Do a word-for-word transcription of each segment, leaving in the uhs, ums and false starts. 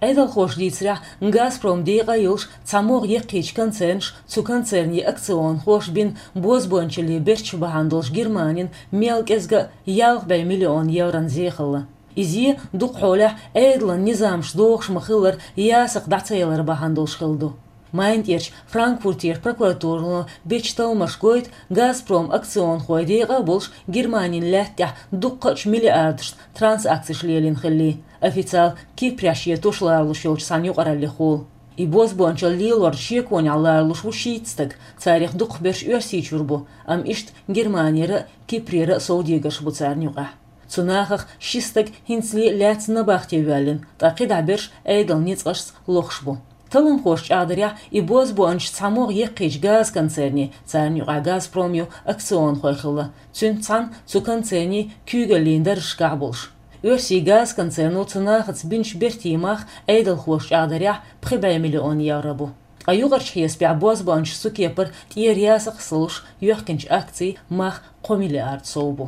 Ӏедалхоша дийцарехь, «Газпром» декъа а йолуш цхьа могӀа яккхийчу концернаш, цу концернийн акционхоша бина бозбуунчаллин берташ бахьана долуш Германина мел кӀезга а ялх бӀе миллион еврон зе хилла. И зе дукха хьолехь Ӏедалан низамаш дохуш ма-хиллара ясакх дӀа ца ялар бахьана долуш хилла ду. МайнтӀерчу Франкфуртера прокуратуро бечу талламаша гойту, «Газпром» акционхойн декъа а болуш Германин лаьтта тӀехь дуккхачу миллиардашна транзакцеш лелийна хилла, официалан Кипрехь шен туш лоруш йолчу цхьана юкъараллехула. И бозбуунчалла лелорна шеконехь лоруш ву шийтта стаг, царех дукхахберш Оьрсийчуьра бу, амма иштта Германера а, Кипрера а совдегарш бу царна юкъахь. Цу нахах ши стаг хӀинцале а лаьцна набахте воьллина, ткъа кхидӀа берш Ӏедалан ницкъашца лохуш бу. Талламхоша чӀагӀдарехь, и бозбуунчаш цхьа могӀа яккхийчу газконцернийн, царна юкъахь «Газпром» ю, акционхой хилла, цуьнца цхьаьна цу концернийн куьйгаллин даржашкахь болуш. Оьрсийн газконцерно цу нахаца бинчу бертийн мах, Ӏедалхоша чӀагӀдарехь, пхи бӀе миллион евро бу. Ткъа юкъарчу хьесапехь бозбуунчаша цу кепара тӀера ясакх ца луш йоьхкинчу акцийн мах кхо миллиард сов бу.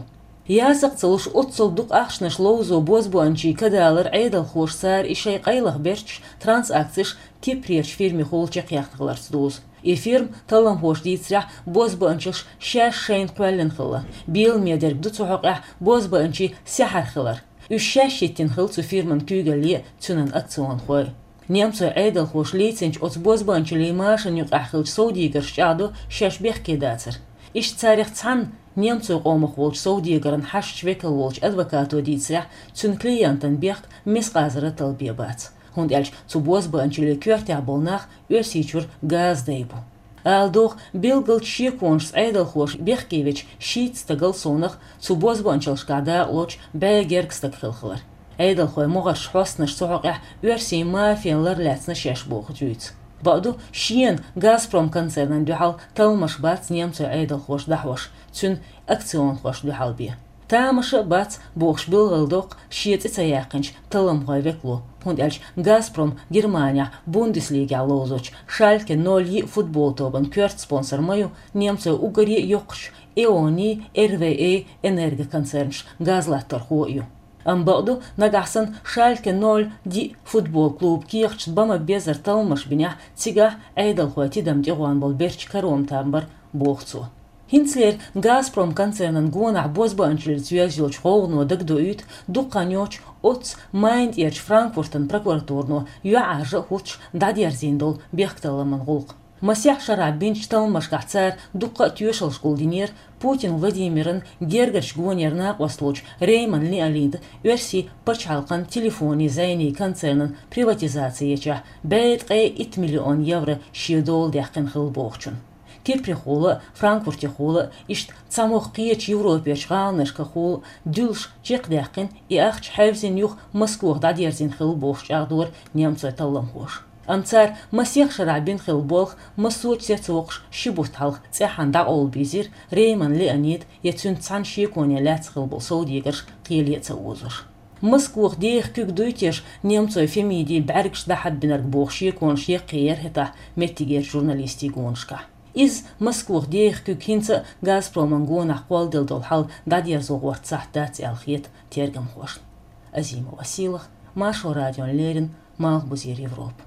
Ясакх ца луш оццул дукха ахчанаш ловзо бозбуунчийн кадалар Ӏедалхоша цара и шайн къайлаха берташ, транзакцеш Кипрерчу фирмехула чекхъяьхна хиларца дузу. И фирма, талламхоша дийцарехь, бозбуунчаллаш шаьш шайна кхоьллина хилла. Беламе дерг ду цу хьокъехь бозбуунчийн сехьар хилар. Уьш шаьш йиттина хилла цу фирман куьйгалле а, цуьнан акционхой а. Немцойн Ӏедалхоша лецначу оцу бозбуунчаллин машанна юкъахь хиллачу совдегарша чӀагӀдо шаьш бехке дацар. Иштта царех цхьанна немцойн къомах волчу совдегаран хьашташ векал волчу адвокато дийцарехь, цуьнан клиентан бехк мискъазара таллабе бац, хӀунда аьлча цу бозбуунчаллин коьртехь болу нах Оьрсийчуьра газа дай бу. Ала догӀу, билгалчу шеконашца Ӏедалхоша бехке вечу шийтта стагал совнах цу бозбуунчаллашкахь дакъалоцуш бӀе гергга стаг хилла хилар. Ӏедалхойн могӀарш хьостанаш цу хьокъехь оьрсийн мафина лар лаьцна шаьш боху дуьйцу. Бакъду, шена «Газпром» концернан дуьхьал талламаш бац немцойн Ӏедалхоша дӀахьош, цуьнан акционхошна дуьхьал бен. Тамаша а бац, бохуш билгалдоккху шен цӀе ца яьккхинчу талламхойн векало, хӀунда аьлча «Газпром» Германехь Бундеслигехь ловзочу «Шальке ноль» йиъ футбол тобан коьрта спонсор ма ю немцойн уггаре а йоккхачу «Эони», «эр вэ эй» энергоконцернаш газлатторхо а ю. Амма бакъду, нагахь санна «Шальке ноль» диъ футбол клуб кехаташ бан ма-беззара талламаш бинехь, цигахь Ӏедалхойн тидам тӀегӀон болу берташ каром там бара, боху цо. ХӀинцалера «Газпром» концернан гонахь бозбуунчаллица йоьзна йолчу гӀовгӀано дагадоуьйту дукха хан йоццуш оццу Майнтӏерчу Франкфуртан прокуратуро йоӀ-Ӏаьржа а хӀуттуш дӀадерзийна долу бехкталламан гӀуллакх. Масех шарахь бинчу талламашкахь цара дуккха а тоьшаллаш гулдинера Путин Владимиран гергарчу гонера накъост волчу Рейман Леонида оьрсийн пачхьалкхан телефонийн зӀенийн концернан приватизаци ечохь бӀе ткъе итт миллион евро шен дола даьккхина хилла бохучун. Кипрехула а, Франкфуртехула а, иштта цхьа могӀа кхечу Европерчу гӀаланашкахула а дуьллуш чекхдаьккхина, и ахча хьаьвзина юха Москох дӀадерзийна хилла бохуш чӀагӀдора немцойн талламхоша. Амма цара масех шарахь бина хилла болх массочу сецвоккхуш ши бутт хьалха цӀеххьана дӀакъовла бийзира Рейман Леонида я цуьнца цхьана шеконе лаьцна хилла болу совдегарш кхеле а ца озош. Москох деха куьг дуй теша немцойн фемидийн бӀаьргаш дӀахьаббинарг боху шеконаш яккхий яра хӀетахь меттигерчу журналистийн гонашкахь. Иза, Москох деха куьг, хӀинца а «Газпроман» гонахь кхолладелла долу хьал дӀадерзо гӀортта сахьт дац аьлла хета тергамхошна. Азимова Сийлаха, Маршо радиона леррина, Малхбузера Европа.